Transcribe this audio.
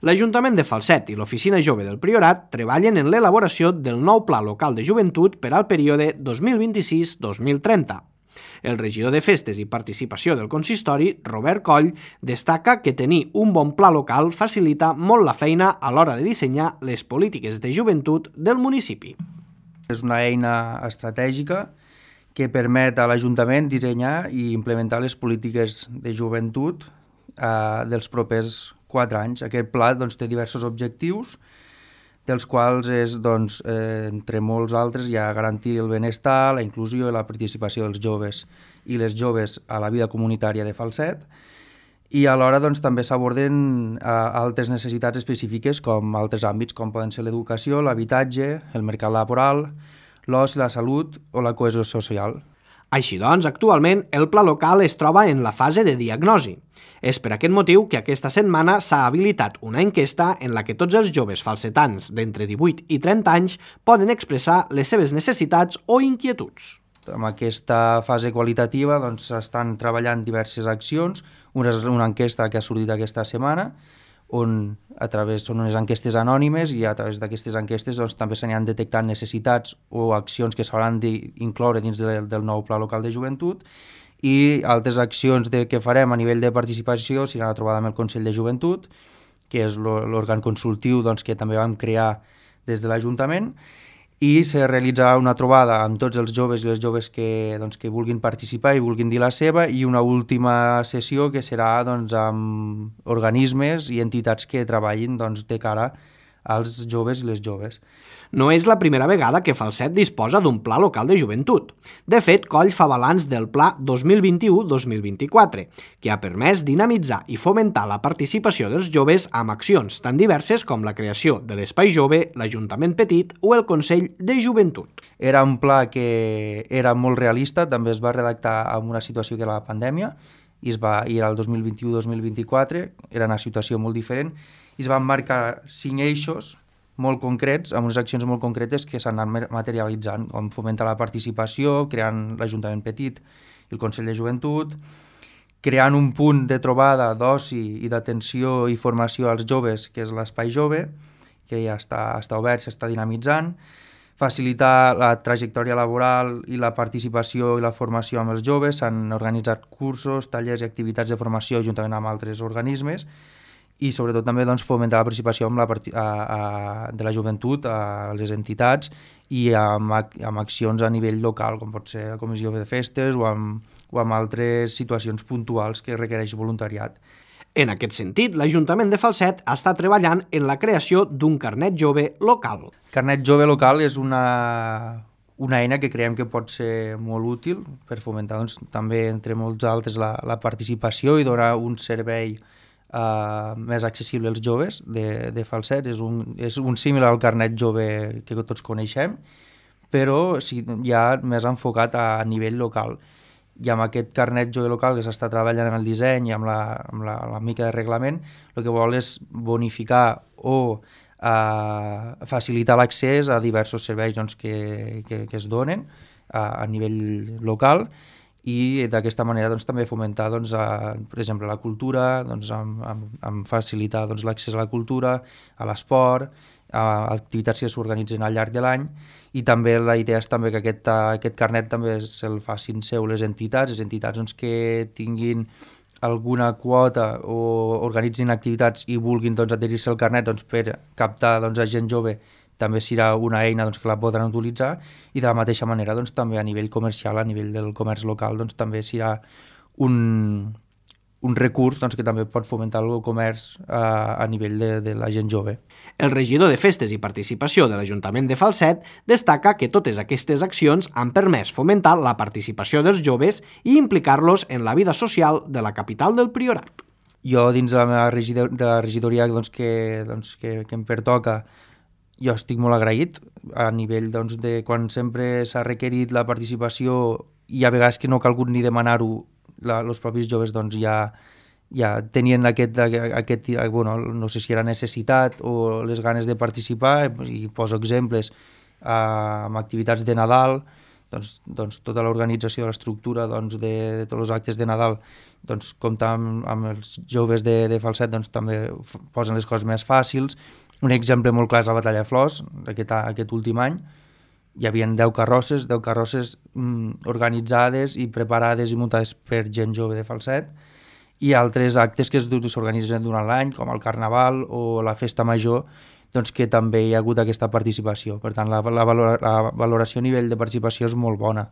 L'Ajuntament de Falset i l'Oficina Jove del Priorat treballen en l'elaboració del nou Pla Local de Joventut per al període 2026-2030. El regidor de Festes i Participació del consistori, Robert Coll, destaca que tenir un bon pla local facilita molt la feina a l'hora de dissenyar les polítiques de joventut del municipi. És una eina estratègica que permet a l'Ajuntament dissenyar i implementar les polítiques de joventut dels propers 4 anys. Aquest pla té diversos objectius, dels quals és, entre molts altres, garantir el benestar, la inclusió i la participació dels joves i les joves a la vida comunitària de Falset, i alhora també s'aborden altres necessitats específiques com altres àmbits, com poden ser l'educació, l'habitatge, el mercat laboral, l'oci, la salut o la cohesió social. Així doncs, actualment el pla local es troba en la fase de diagnosi. És per aquest motiu que aquesta setmana s'ha habilitat una enquesta en la que tots els joves falsetans d'entre 18 i 30 anys poden expressar les seves necessitats o inquietuds. En aquesta fase qualitativa s'estan treballant diverses accions. Una és una enquesta que ha sortit aquesta setmana, on són unes enquestes anònimes i a través d'aquestes enquestes també s'aniran detectant necessitats o accions que s'hauran d'incloure dins del nou Pla Local de Joventut, i altres accions que farem a nivell de participació seran la trobada amb el Consell de Joventut, que és l'òrgan consultiu que també vam crear des de l'Ajuntament, i se realitzarà una trobada amb tots els joves i les joves que vulguin participar i vulguin dir la seva, i una última sessió que serà amb organismes i entitats que treballin de cara als joves i les joves. No és la primera vegada que Falset disposa d'un pla local de joventut. De fet, Coll fa balanç del pla 2021-2024, que ha permès dinamitzar i fomentar la participació dels joves amb accions tan diverses com la creació de l'Espai Jove, l'Ajuntament Petit o el Consell de Joventut. Era un pla que era molt realista, també es va redactar en una situació que era la pandèmia, i era el 2021-2024, era una situació molt diferent, i es van marcar 5 eixos molt concrets, amb unes accions molt concretes que s'han anat materialitzant, com fomentar la participació, creant l'Ajuntament Petit i el Consell de Joventut, creant un punt de trobada d'oci i d'atenció i formació als joves, que és l'Espai Jove, que ja està obert, s'està dinamitzant, facilitar la trajectòria laboral i la participació i la formació amb els joves, s'han organitzat cursos, tallers i activitats de formació juntament amb altres organismes, i sobretot també fomentar la participació de la joventut a les entitats i amb accions a nivell local, com pot ser la comissió de festes o amb altres situacions puntuals que requereix voluntariat. En aquest sentit, l'Ajuntament de Falset està treballant en la creació d'un carnet jove local. Carnet jove local és una eina que creiem que pot ser molt útil per fomentar també, entre molts altres, la participació i donar un servei més accessible als joves de Falset. És un símil al carnet jove que tots coneixem, però ja més enfocat a nivell local. I amb aquest carnet jove local que s'està treballant en el disseny i amb la mica de reglament, el que vol és bonificar o facilitar l'accés a diversos serveis que es donen a nivell local, i d'aquesta manera també fomentar, per exemple, la cultura, amb facilitar l'accés a la cultura, a l'esport, a activitats que s'organitzen al llarg de l'any, i també la idea és també que aquest carnet també se'l facin seu les entitats que tinguin alguna quota o organitzin activitats i vulguin adherir-se al carnet per captar a gent jove. També serà una eina que la podran utilitzar, i de la mateixa manera també a nivell comercial, a nivell del comerç local, també serà un recurs que també pot fomentar el comerç a nivell de la gent jove. El regidor de Festes i Participació de l'Ajuntament de Falset destaca que totes aquestes accions han permès fomentar la participació dels joves i implicar-los en la vida social de la capital del Priorat. Jo, dins de la meva regidoria que em pertoca, jo estic molt agraït a nivell de quan sempre s'ha requerit la participació, i a vegades que no ha calgut ni demanar-ho, els propis joves ja tenien no sé si era necessitat o les ganes de participar, i poso exemples amb activitats de Nadal, doncs tota l'organització de l'estructura de tots els actes de Nadal compta amb els joves de Falset, també posen les coses més fàcils. Un exemple molt clar és la Batalla de Flors, aquest últim any. Hi havia 10 carrosses organitzades i preparades i muntades per gent jove de Falset, i altres actes que s'organitzen durant l'any, com el Carnaval o la Festa Major, que també hi ha hagut aquesta participació. Per tant, la valoració a nivell de participació és molt bona.